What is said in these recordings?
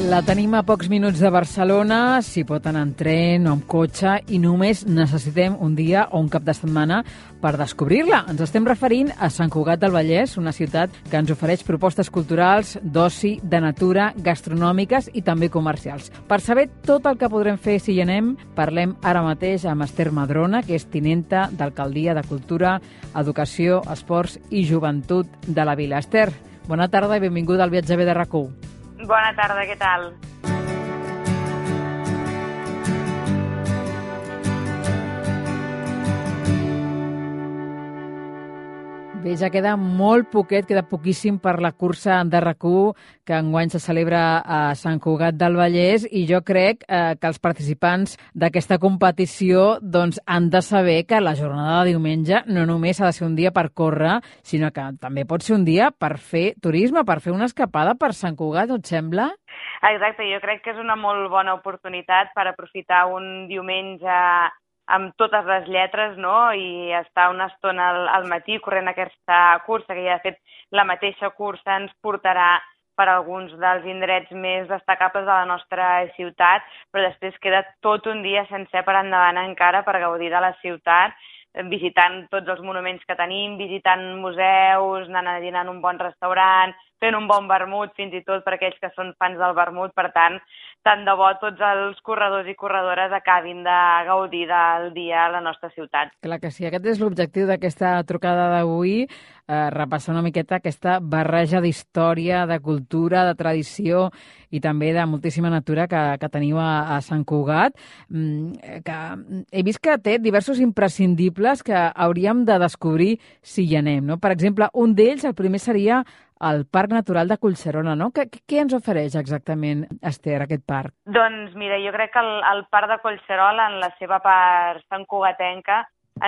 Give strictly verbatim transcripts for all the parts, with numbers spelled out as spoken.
La tenim a pocs minuts de Barcelona, s'hi pot anar en tren o amb cotxe i només necessitem un dia o un cap de setmana per descobrir-la. Ens estem referint a Sant Cugat del Vallès, una ciutat que ens ofereix propostes culturals, d'oci, de natura, gastronòmiques i també comercials. Per saber tot el que podrem fer si hi anem, parlem ara mateix amb Esther Madrona, que és tinenta d'Alcaldia de Cultura, Educació, Esports i Joventut de la Vila. Esther, bona tarda i benvinguda al Viatge B de RAC u. Bona tarda, què tal? Bé, ja queda molt poquet, queda poquíssim per la cursa de RAC u, que enguany se celebra a Sant Cugat del Vallès, i jo crec eh, que els participants d'aquesta competició doncs, han de saber que la jornada de diumenge no només ha de ser un dia per córrer, sinó que també pot ser un dia per fer turisme, per fer una escapada per Sant Cugat, no et sembla? Exacte, jo crec que és una molt bona oportunitat per aprofitar un diumenge amb totes les lletres, no?, i estar una estona al, al matí corrent aquesta cursa, que ja de fet la mateixa cursa ens portarà per alguns dels indrets més destacables de la nostra ciutat, però després queda tot un dia sencer per endavant encara per gaudir de la ciutat, visitant tots els monuments que tenim, visitant museus, anant a dinar en un bon restaurant, fent un bon vermut, fins i tot per aquells que són fans del vermut. Per tant, tant de bo tots els corredors i corredores acabin de gaudir del dia a la nostra ciutat. Clar que sí, aquest és l'objectiu d'aquesta trucada d'avui, eh, repassar una miqueta aquesta barreja d'història, de cultura, de tradició i també de moltíssima natura que, que teniu a, a Sant Cugat, que he vist que té diversos imprescindibles que hauríem de descobrir si hi anem, no? Per exemple, un d'ells, el primer seria el Parc Natural de Collserola, no? Què, què ens ofereix exactament, Esther, aquest parc? Doncs mira, jo crec que el, el Parc de Collserola, en la seva part santcugatenca,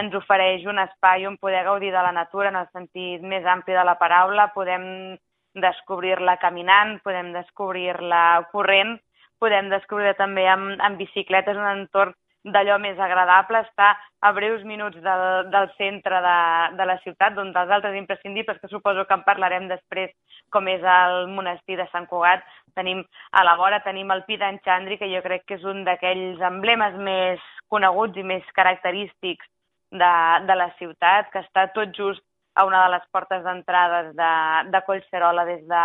ens ofereix un espai on poder gaudir de la natura en el sentit més ampli de la paraula. Podem descobrir-la caminant, podem descobrir-la corrent, podem descobrir-la també amb, amb bicicletes, un entorn d'allò més agradable, està a breus minuts del, del centre de, de la ciutat, d'un dels altres imprescindibles, que suposo que en parlarem després, com és el monestir de Sant Cugat. Tenim a la vora, tenim el Pi d'en Xandri, que jo crec que és un d'aquells emblemes més coneguts i més característics de, de la ciutat, que està tot just a una de les portes d'entrades de, de Collserola des de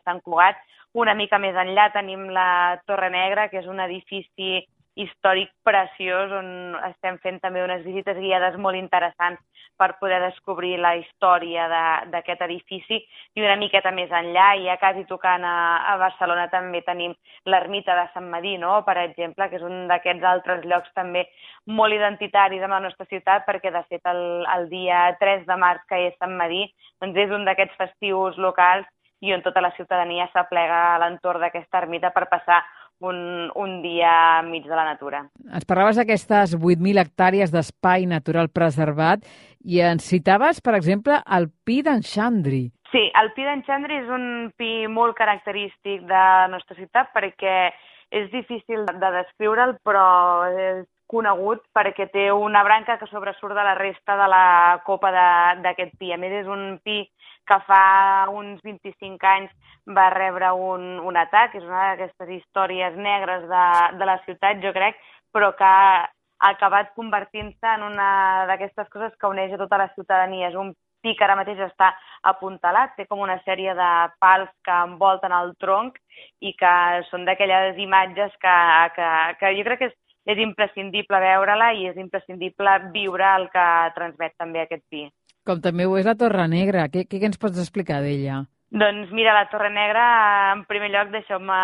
Sant Cugat. Una mica més enllà tenim la Torre Negra, que és un edifici històric preciós, on estem fent també unes visites guiades molt interessants per poder descobrir la història d'aquest edifici. I una miqueta més enllà, i ja quasi tocant a, a Barcelona, també tenim l'ermita de Sant Medir, no?, per exemple, que és un d'aquests altres llocs també molt identitaris amb la nostra ciutat, perquè de fet el, el dia tres de març, que és Sant Medir, doncs és un d'aquests festius locals i on tota la ciutadania s'aplega a l'entorn d'aquesta ermita per passar Un, un dia enmig de la natura. Ens parlaves d'aquestes vuit mil hectàrees d'espai natural preservat i ens citaves, per exemple, el Pi d'en Xandri. Sí, el Pi d'en Xandri és un pi molt característic de la nostra ciutat perquè és difícil de descriure'l, però és conegut perquè té una branca que sobresurt de la resta de la copa d'aquest pi. A més, és un pi que fa uns vint-i-cinc anys va rebre un, un atac, és una d'aquestes històries negres de, de la ciutat, jo crec, però que ha acabat convertint-se en una d'aquestes coses que uneix a tota la ciutadania. És un pi que ara mateix està apuntalat, té com una sèrie de pals que envolten el tronc i que són d'aquelles imatges que, que, que jo crec que és, és imprescindible veure-la i és imprescindible viure el que transmet també aquest pi. Com també ho és la Torre Negra. Què, què ens pots explicar d'ella? Doncs mira, la Torre Negra, en primer lloc, deixeu-me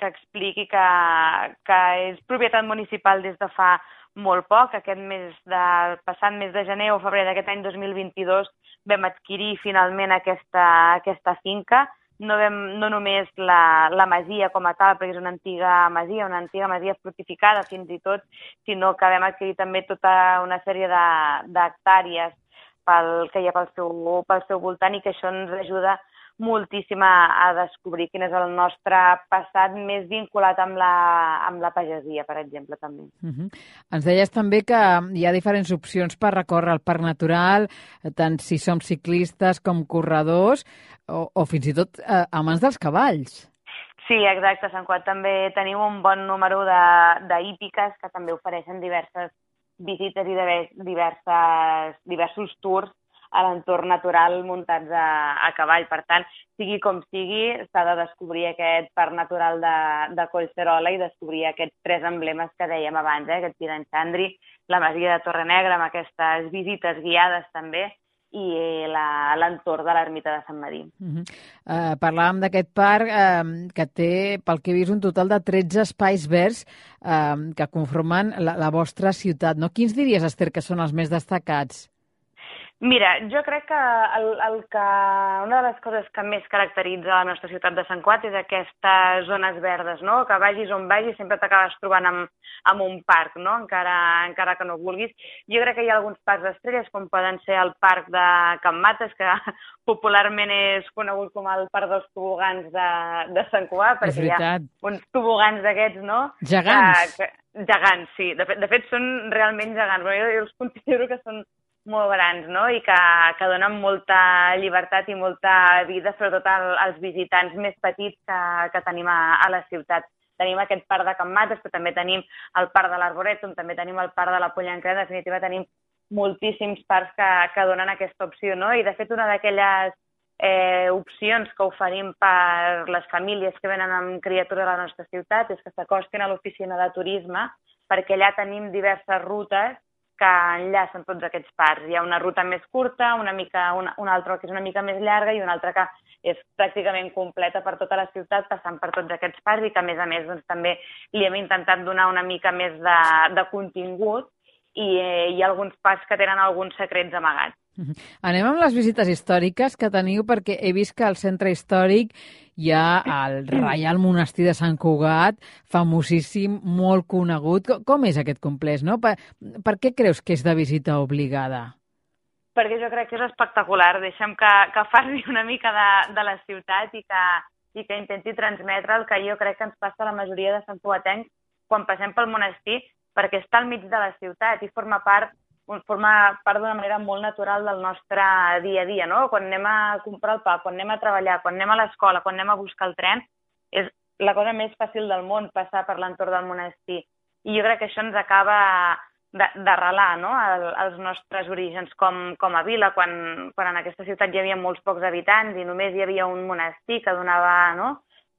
que expliqui que, que és propietat municipal des de fa molt poc. Aquest mes de, passat mes de gener o febrer d'aquest any dos mil vint-i-dos vam adquirir finalment aquesta, aquesta finca. No, vam, no només la, la masia com a tal, perquè és una antiga masia, una antiga masia fortificada fins i tot, sinó que vam adquirir també tota una sèrie d'hectàrees pel que hi ha pel seu, pel seu voltant, i que això ens ajuda moltíssim a, a descobrir quin és el nostre passat més vinculat amb la, amb la pagesia, per exemple, també. Uh-huh. Ens deies també que hi ha diferents opcions per recórrer el Parc Natural, tant si som ciclistes com corredors, o, o fins i tot eh, amants dels cavalls. Sí, exacte. A Sant Cugat també tenim un bon número d'hípiques que també ofereixen diverses visites i diverses, diversos tours a l'entorn natural muntats a, a cavall. Per tant, sigui com sigui, s'ha de descobrir aquest parc natural de, de Collserola i descobrir aquests tres emblemes que dèiem abans, eh? Aquest Tir d'en Xandri, la Masia de Torrenegra, amb aquestes visites guiades també, i l'entorn de l'ermita de Sant Medir. Uh -huh. uh, parlàvem d'aquest parc uh, que té, pel que he vist, un total de tretze espais verds uh, que conformen la, la vostra ciutat, no? Quins diries, Esther, que són els més destacats? Mira, jo crec que, el, el que una de les coses que més caracteritza la nostra ciutat de Sant Cugat és aquestes zones verdes, no? Que vagis on vagis sempre t'acabes trobant amb, amb un parc, no? Encara, encara que no vulguis. Jo crec que hi ha alguns parcs d'estrelles, com poden ser el parc de Can Mates, que popularment és conegut com el parc dels tobogans de, de Sant Cugat, perquè hi ha uns tobogans d'aquests, no? Gegants. Que, que, gegants, sí. De fet, de fet, són realment gegants, però jo, jo els considero que són molt grans, no? I que, que donen molta llibertat i molta vida, sobretot als visitants més petits que, que tenim a, a la ciutat. Tenim aquest parc de Can Mates, però també tenim el parc de l'Arborètum, també tenim el parc de la Pollenca, en definitiva tenim moltíssims parcs que, que donen aquesta opció, no? I de fet una d'aquelles eh, opcions que oferim per les famílies que venen amb criatures a la nostra ciutat és que s'acostin a l'oficina de turisme, perquè allà tenim diverses rutes que enllacen tots aquests parcs. Hi ha una ruta més curta, una, mica, una, una altra que és una mica més llarga i una altra que és pràcticament completa per tota la ciutat, passant per tots aquests parcs i que, a més a més, doncs, també li hem intentat donar una mica més de, de contingut i eh, hi ha alguns parcs que tenen alguns secrets amagats. Uh-huh. Anem amb les visites històriques que teniu, perquè he vist que al centre històric hi ha el Reial Monestir de Sant Cugat, famosíssim, molt conegut. Com és aquest complex, no? Per, per què creus que és de visita obligada? Perquè jo crec que és espectacular. Deixa'm que, que parli una mica de, de la ciutat i que, i que intenti transmetre el que jo crec que ens passa a la majoria de santcugatencs quan passem pel monestir, perquè està al mig de la ciutat i forma part forma part d'una manera molt natural del nostre dia a dia, no? Quan anem a comprar el pa, quan anem a treballar, quan anem a l'escola, quan anem a buscar el tren, és la cosa més fàcil del món passar per l'entorn del monestir. I jo crec que això ens acaba d'arrelar, no?, als nostres orígens com, com a vila, quan, quan en aquesta ciutat hi havia molts pocs habitants i només hi havia un monestir que donava, no?,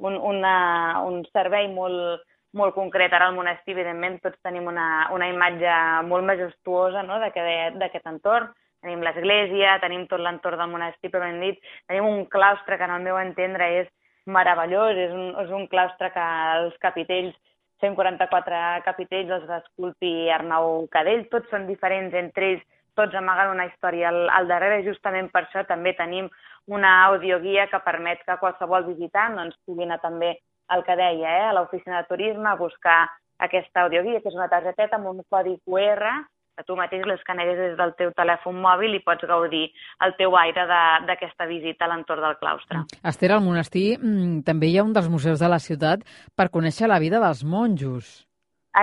un, una, un servei molt, molt concret. Ara al monestir, evidentment, tots tenim una, una imatge molt majestuosa, no?, d'aquest entorn. Tenim l'església, tenim tot l'entorn del monestir, però ben dit, tenim un claustre que, en el meu entendre, és meravellós, és un, és un claustre que els capitells, cent quaranta-quatre capitells, els va esculpir Arnau Cadell, tots són diferents entre ells, tots amaguen una història al, al darrere, i justament per això també tenim una audioguia que permet que qualsevol visitant doncs, pugui anar també el que deia, eh, a l'oficina de turisme, a buscar aquesta audioguia, que és una targeteta amb un codi cu erre, que tu mateix l'escaneres des del teu telèfon mòbil i pots gaudir el teu aire d'aquesta visita a l'entorn del claustre. Esther, al monestir mmm, també hi ha un dels museus de la ciutat per conèixer la vida dels monjos.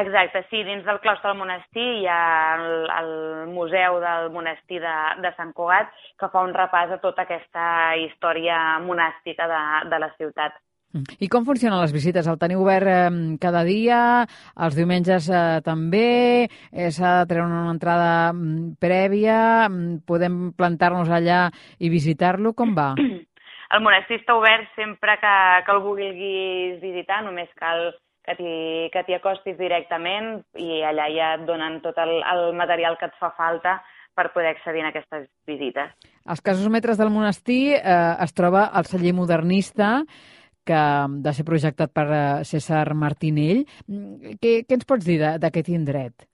Exacte, sí, dins del claustre del monestir hi ha el, el Museu del Monestir de, de Sant Cugat, que fa un repàs a tota aquesta història monàstica de, de la ciutat. I com funcionen les visites? El teniu obert eh, cada dia? Els diumenges eh, també? Eh, S'ha de treure una entrada mm, prèvia? Mm, podem plantar-nos allà i visitar-lo? Com va? El monestir està obert sempre que, que el vulguis visitar, només cal que t'hi acostis directament i allà ja et donen tot el, el material que et fa falta per poder accedir a aquestes visites. Als casos metres del monestir eh, es troba el celler modernista, que de ser projectat per César Martinell. Què, què ens pots dir d'aquest indret?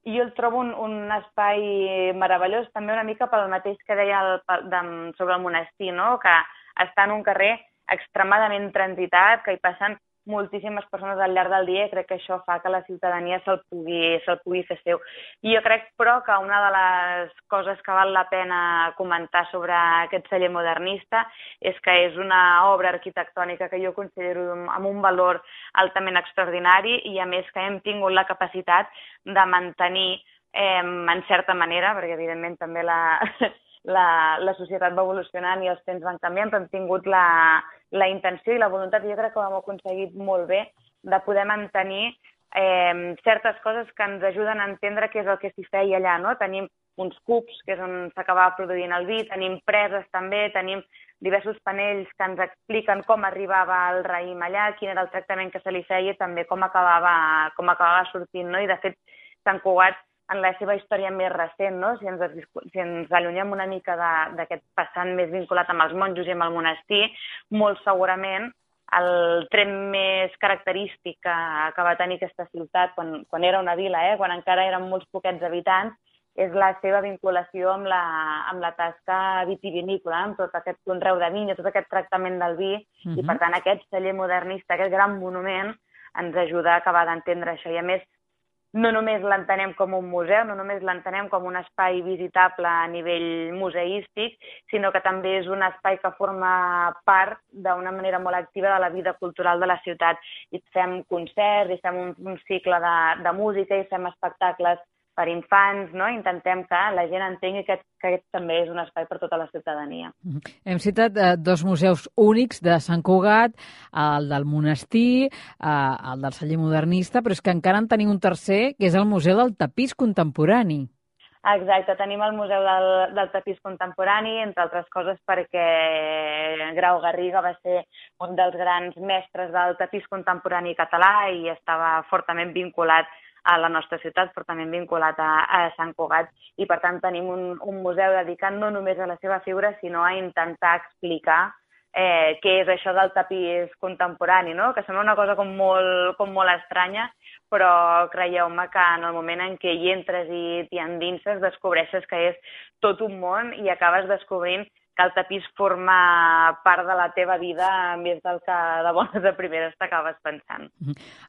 Jo el trobo un, un espai meravellós, també una mica pel mateix que deia el, de, sobre el monestir, no?, que està en un carrer extremadament transitat, que hi passen moltíssimes persones al llarg del dia i crec que això fa que la ciutadania se'l pugui, se'l pugui fer seu. I jo crec, però, que una de les coses que val la pena comentar sobre aquest celler modernista és que és una obra arquitectònica que jo considero amb un valor altament extraordinari i, a més, que hem tingut la capacitat de mantenir, eh, en certa manera, perquè, evidentment, també la... la, la societat va evolucionant i els temps van canviant, però hem tingut la, la intenció i la voluntat, i jo crec que ho hem aconseguit molt bé, de poder mantenir eh, certes coses que ens ajuden a entendre què és el que s'hi feia allà, no? Tenim uns cubs, que és on s'acabava produint el vi, tenim preses també, tenim diversos panells que ens expliquen com arribava el raïm allà, quin era el tractament que se li feia i també com acabava, com acabava sortint, no? I de fet, Sant Cugat, en la seva història més recent, no? Si ens, si ens allunyem una mica d'aquest passant més vinculat amb els monjos i amb el monestir, molt segurament el tret més característic que, que va tenir aquesta ciutat quan, quan era una vila, eh? Quan encara eren molts poquets habitants, és la seva vinculació amb la, amb la tasca vitivinícola, amb tot aquest conreu de vinya, tot aquest tractament del vi, uh-huh. I per tant aquest celler modernista, aquest gran monument, ens ajuda a acabar d'entendre això. I a més, no només l'entenem com un museu, no només l'entenem com un espai visitable a nivell museístic, sinó que també és un espai que forma part d'una manera molt activa de la vida cultural de la ciutat. I fem concerts, i fem un, un cicle de, de música, i fem espectacles per infants, no? Intentem que la gent entengui que, que aquest també és un espai per tota la ciutadania. Hem citat eh, dos museus únics de Sant Cugat, el del monestir, eh, el del celler modernista, però és que encara en tenim un tercer, que és el Museu del Tapís Contemporani. Exacte, tenim el Museu del, del Tapís Contemporani, entre altres coses perquè Grau Garriga va ser un dels grans mestres del tapís contemporani català i estava fortament vinculat a la nostra ciutat, però també vinculat a, a Sant Cugat. I, per tant, tenim un, un museu dedicat no només a la seva figura, sinó a intentar explicar eh, què és això del tapís contemporani, no? Que sembla una cosa com molt, com molt estranya, però creieu-me que en el moment en què hi entres i t'hi endinses, descobreixes que és tot un món i acabes descobrint que el tapís forma part de la teva vida més del que de bones a primeres t'acabes pensant.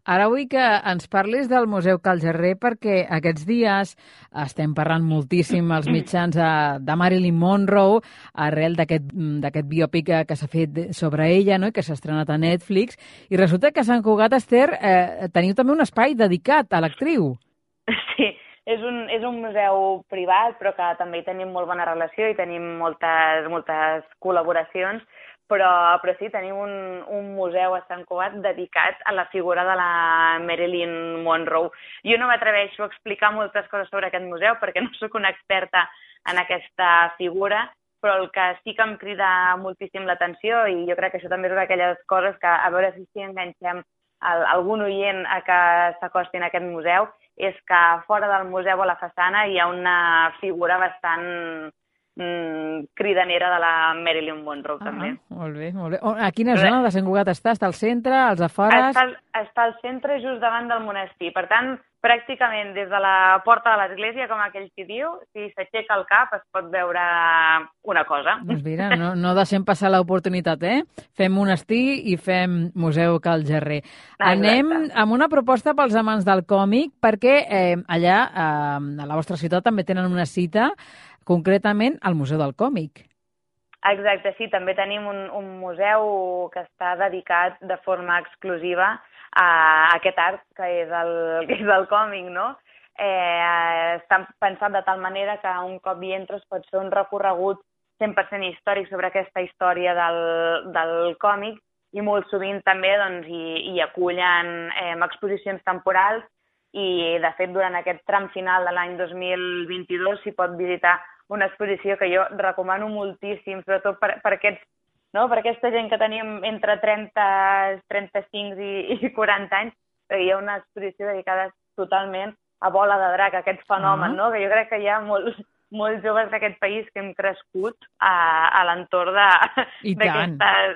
Ara vull que ens parlis del Museu Cal Gerrer perquè aquests dies estem parlant moltíssim als mitjans de Marilyn Monroe arrel d'aquest biòpic que s'ha fet sobre ella, no? I que s'ha estrenat a Netflix, i resulta que a Sant Cugat, Esther, eh, teniu també un espai dedicat a l'actriu. Sí. És un, és un museu privat, però que també hi tenim molt bona relació i tenim moltes, moltes col·laboracions, però, però sí, tenim un, un museu a Sant Cugat dedicat a la figura de la Marilyn Monroe. Jo no m'atreveixo a explicar moltes coses sobre aquest museu perquè no sóc una experta en aquesta figura, però el que sí que em crida moltíssim l'atenció, i jo crec que això també és una d'aquelles coses que a veure si sí enganxem algun oient a que s'acostin a aquest museu, és que fora del museu a la façana hi ha una figura bastant mm, cridanera de la Marilyn Monroe, ah, també. Molt bé, molt bé. A quina zona de Sant Cugat està? Està al centre, als afores? Està, està al centre, just davant del monestir. Per tant, pràcticament des de la porta de l'església, com aquell qui diu, si s'aixeca el cap es pot veure una cosa. Doncs mira, no, no deixem passar l'oportunitat, eh? Fem monestir i fem Museu Cal Gerrer. Ah, anem amb una proposta pels amants del còmic, perquè eh, allà, eh, a la vostra ciutat, també tenen una cita, concretament al Museu del Còmic. Exacte, sí, també tenim un, un museu que està dedicat de forma exclusiva a aquest art que és el, que és el còmic, no? Eh, està pensat de tal manera que un cop hi entres pot fer un recorregut cent per cent històric sobre aquesta història del, del còmic i molt sovint també doncs, hi, hi acullen eh, exposicions temporals i, de fet, durant aquest tram final de l'any dos mil vint-i-dos s'hi pot visitar una exposició que jo recomano moltíssim, sobretot per, per aquests no? Per aquesta gent que tenim entre trenta, trenta-cinc i, i quaranta anys, hi ha una exposició dedicada totalment a Bola de Drac, aquest fenomen, uh-huh. no? Que jo crec que hi ha molts, molts joves d'aquest país que hem crescut a, a l'entorn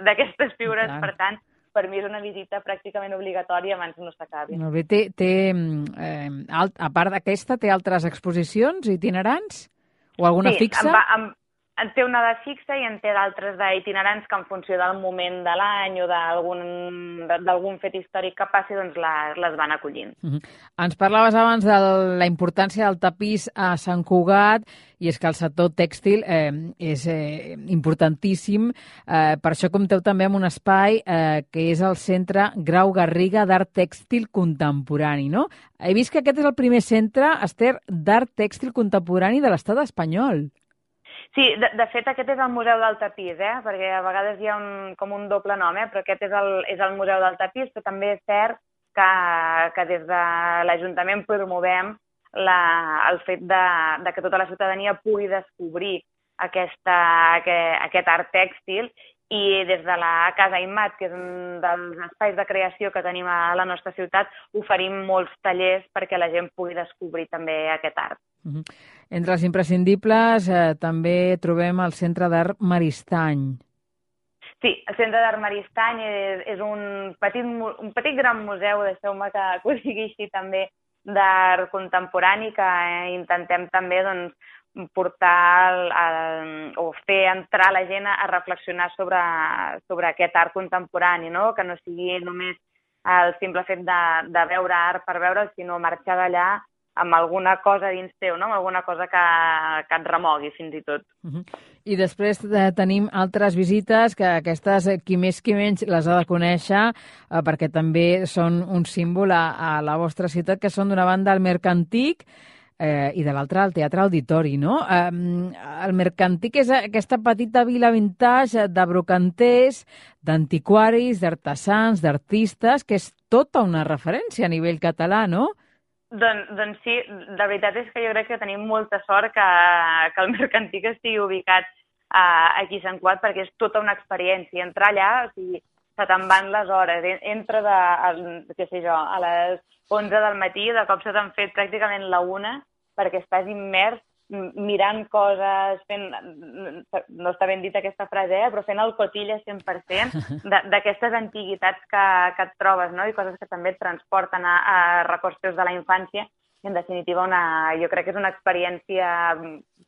d'aquestes figures, per tant, per mi és una visita pràcticament obligatòria abans no s'acabi. Molt bé, té, té, eh, alt, a part d'aquesta, té altres exposicions itinerants? O alguna sí, fixa? Sí, en, en té una de fixa i en té d'altres d'itinerants que en funció del moment de l'any o d'algun fet històric que passi, doncs les, les van acollint. Uh-huh. Ens parlaves abans de la importància del tapís a Sant Cugat, i és que el sector tèxtil eh, és eh, importantíssim. Eh, per això compteu també amb un espai eh, que és el Centre Grau Garriga d'Art Tèxtil Contemporani, no? He vist que aquest és el primer centre, Esther, d'art tèxtil contemporani de l'estat espanyol. Sí, de, de fet aquest és el Museu del Tapís, eh? Perquè a vegades hi ha un, com un doble nom, eh? Però aquest és el, és el Museu del Tapís, però també és cert que, que des de l'Ajuntament promovem la, el fet de, de que tota la ciutadania pugui descobrir aquesta, aquest, aquest art tèxtil, i des de la Casa Immat, que és un dels espais de creació que tenim a la nostra ciutat, oferim molts tallers perquè la gent pugui descobrir també aquest art. Uh-huh. Entre els imprescindibles eh, també trobem el Centre d'Art Maristany. Sí, el Centre d'Art Maristany és, és un, petit, un petit gran museu, deixeu-me que, que ho digui així també, d'art contemporani, que eh, intentem també doncs, portar el, el, o fer entrar la gent a reflexionar sobre, sobre aquest art contemporani, no? Que no sigui només el simple fet de, de veure art per veure'l, sinó marxar d'allà amb alguna cosa dins teu, no? Amb alguna cosa que, que et remogui, fins i tot. Uh-huh. I després eh, tenim altres visites, que aquestes, eh, qui més qui menys, les ha de conèixer, eh, perquè també són un símbol a, a la vostra ciutat, que són d'una banda el Mercantic, Eh, i de l'altra el Teatre Auditori, no? Eh, el Mercantic és aquesta petita vila vintage de brocanters, d'antiquaris, d'artesans, d'artistes, que és tota una referència a nivell català, no? Doncs, doncs sí, la veritat és que jo crec que tenim molta sort que, que el Mercantic estigui ubicat uh, aquí a Sant Cugat, perquè és tota una experiència. Entrar allà, o sigui, se te'n van les hores, entres a, a, què sé jo, a les onze del matí, de cop se t'han fet pràcticament la una, perquè estàs immers mirant coses, fent, no està ben dit aquesta frase, eh, però fent el cotilla cent per cent d'aquestes antiguitats que, que et trobes, no? I coses que també et transporten a, a records teus de la infància. I, en definitiva, una, jo crec que és una experiència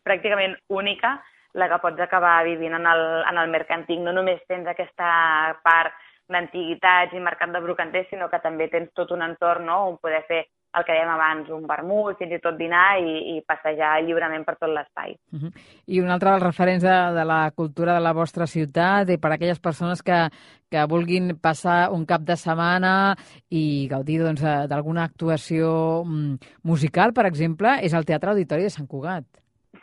pràcticament única la que pots acabar vivint en el, en el Mercantic. No només tens aquesta part d'antiguitats i mercat de brocanters, sinó que també tens tot un entorn, no?, on poder fer el que dèiem abans, un vermut, fins i tot dinar i, i passejar lliurement per tot l'espai. Uh-huh. I un altre dels referents de, de la cultura de la vostra ciutat, i per a aquelles persones que, que vulguin passar un cap de setmana i gaudir doncs, d'alguna actuació musical, per exemple, és el Teatre Auditori de Sant Cugat.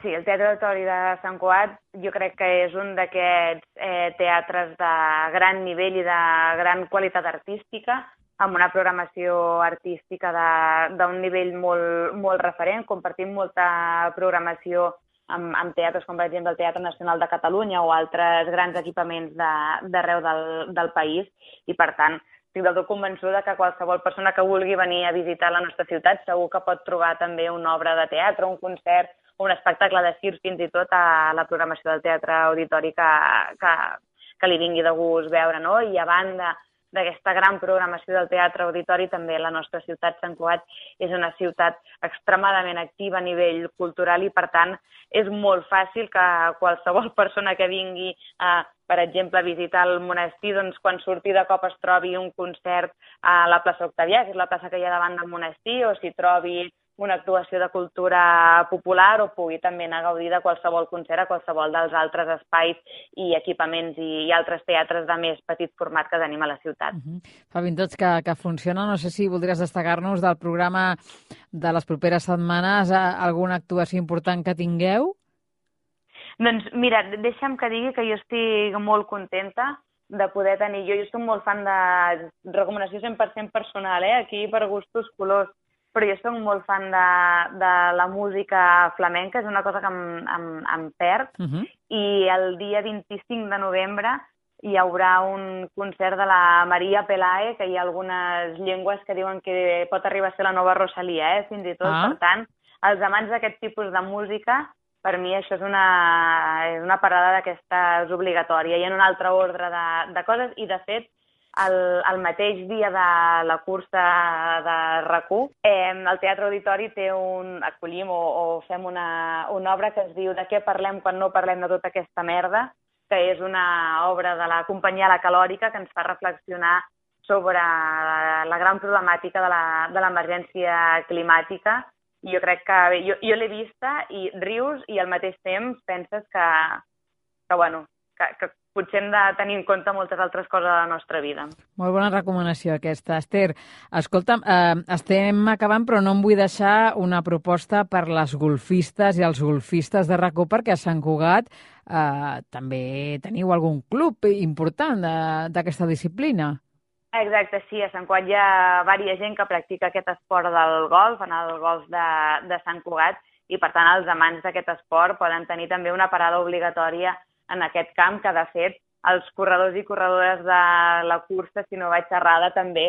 Sí, el Teatre Auditori de Sant Cugat jo crec que és un d'aquests eh, teatres de gran nivell i de gran qualitat artística, amb una programació artística d'un nivell molt, molt referent. Compartim molta programació amb, amb teatres com, per exemple, el Teatre Nacional de Catalunya o altres grans equipaments d'arreu del, del país, i, per tant, estic del tot convençuda que qualsevol persona que vulgui venir a visitar la nostra ciutat segur que pot trobar també una obra de teatre, un concert o un espectacle de circ, fins i tot a la programació del Teatre Auditori que, que, que li vingui de gust veure, no? I a banda d'aquesta gran programació del Teatre Auditori, també la nostra ciutat, Sant Cugat, és una ciutat extremadament activa a nivell cultural i, per tant, és molt fàcil que qualsevol persona que vingui a, per exemple, a visitar el monestir, doncs quan surti de cop es trobi un concert a la plaça Octavià, que és la plaça que hi ha davant del monestir, o si trobi una actuació de cultura popular, o pugui també anar a gaudir de qualsevol concert a qualsevol dels altres espais i equipaments i, i altres teatres de més petit format que tenim a la ciutat. Uh-huh. Fa vint tots que, que funciona. No sé si voldries destacar-nos del programa de les properes setmanes alguna actuació important que tingueu? Doncs mira, deixa'm que digui que jo estic molt contenta de poder tenir... Jo, jo soc molt fan de recomanació cent per cent personal, eh? Aquí per gustos colors. Però jo soc molt fan de, de la música flamenca, és una cosa que em, em, em perd, uh-huh. I el dia vint-i-cinc de novembre hi haurà un concert de la Maria Pelae, que hi ha algunes llengües que diuen que pot arribar a ser la nova Rosalia, eh? Fins i tot. Ah. Per tant, els amants d'aquest tipus de música, per mi això és una, és una parada d'aquestes obligatòria. Hi ha un altre ordre de, de coses i, de fet, El, el mateix dia de la cursa de RAC u, eh, el Teatre Auditori té un, acollim o, o fem una, una obra que es diu De què parlem quan no parlem de tota aquesta merda, que és una obra de la companyia La Calòrica que ens fa reflexionar sobre la, la gran problemàtica de l'emergència climàtica. I jo crec que jo, jo l'he vista i rius i al mateix temps penses que, que bueno, que, que potser hem de tenir en compte moltes altres coses a la nostra vida. Molt bona recomanació aquesta, Esther. Escolta'm, eh, estem acabant, però no em vull deixar una proposta per les golfistes i els golfistes de RAC u, perquè a Sant Cugat eh, també teniu algun club important d'aquesta disciplina. Exacte, sí. A Sant Cugat hi ha diversa gent que practica aquest esport del golf, en el golf de, de Sant Cugat, i per tant els amants d'aquest esport poden tenir també una parada obligatòria en aquest camp, que de fet els corredors i corredores de la cursa, si no vaig errada, també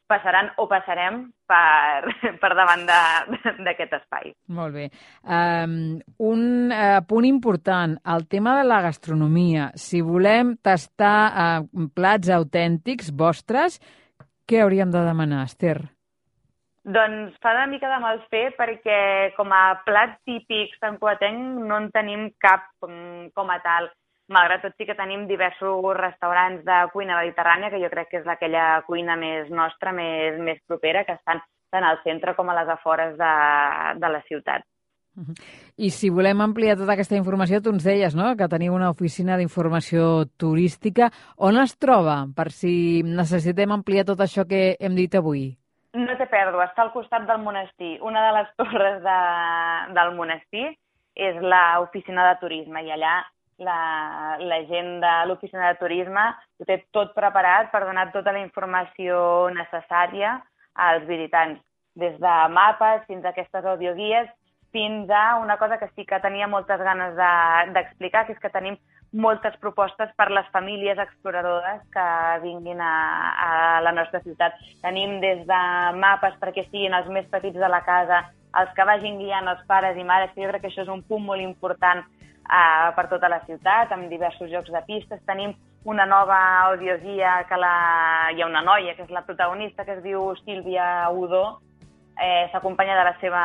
passaran o passarem per, per davant d'aquest espai. Molt bé. Um, un uh, punt important, el tema de la gastronomia. Si volem tastar uh, plats autèntics vostres, què hauríem de demanar, Esther? Doncs fa una mica de mal fer, perquè com a plat típic santcugatenc no en tenim cap com, com a tal. Malgrat tot sí que tenim diversos restaurants de cuina mediterrània, que jo crec que és aquella cuina més nostra, més, més propera, que estan tant al centre com a les afores de, de la ciutat. I si volem ampliar tota aquesta informació, tu ens deies, no?, que teniu una oficina d'informació turística. On es troba, per si necessitem ampliar tot això que hem dit avui? No té pèrdua, està al costat del monestir. Una de les torres de, del monestir és l'oficina de turisme, i allà la, la gent de l'oficina de turisme ho té tot preparat per donar tota la informació necessària als visitants, des de mapes fins a aquestes audioguies, fins a una cosa que sí que tenia moltes ganes d'explicar, de, que és que tenim moltes propostes per les famílies exploradores que vinguin a, a la nostra ciutat. Tenim des de mapes perquè siguin els més petits de la casa, els que vagin guiant els pares i mares, que jo crec que això és un punt molt important uh, per tota la ciutat, amb diversos jocs de pistes. Tenim una nova audioguia, que la... hi ha una noia que és la protagonista, que es diu Sílvia Udó, Eh, s'acompanya de la seva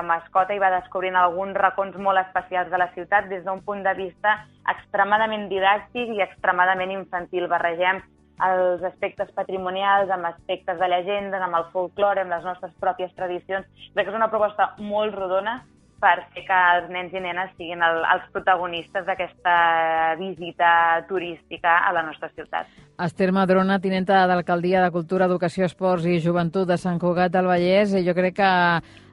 mascota i va descobrint alguns racons molt especials de la ciutat des d'un punt de vista extremadament didàctic i extremadament infantil. Barregem els aspectes patrimonials amb aspectes de llegendes, amb el folklore, amb les nostres pròpies tradicions. Crec que és una proposta molt rodona per fer que els nens i nenes siguin el, els protagonistes d'aquesta visita turística a la nostra ciutat. Esther Madrona, tinenta d'Alcaldia de Cultura, Educació, Esports i Joventut de Sant Cugat del Vallès. Jo crec que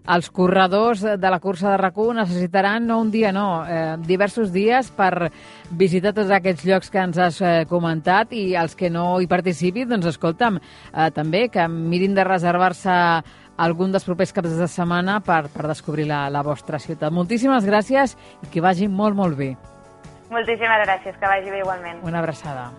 els corredors de la cursa de RAC u necessitaran, no un dia, no, eh, diversos dies per visitar tots aquests llocs que ens has eh, comentat, i els que no hi participin, doncs escolta'm, eh, també que mirin de reservar-se algun dels propers caps de setmana per, per descobrir la, la vostra ciutat. Moltíssimes gràcies i que vagi molt, molt bé. Moltíssimes gràcies, que vagi bé igualment. Una abraçada.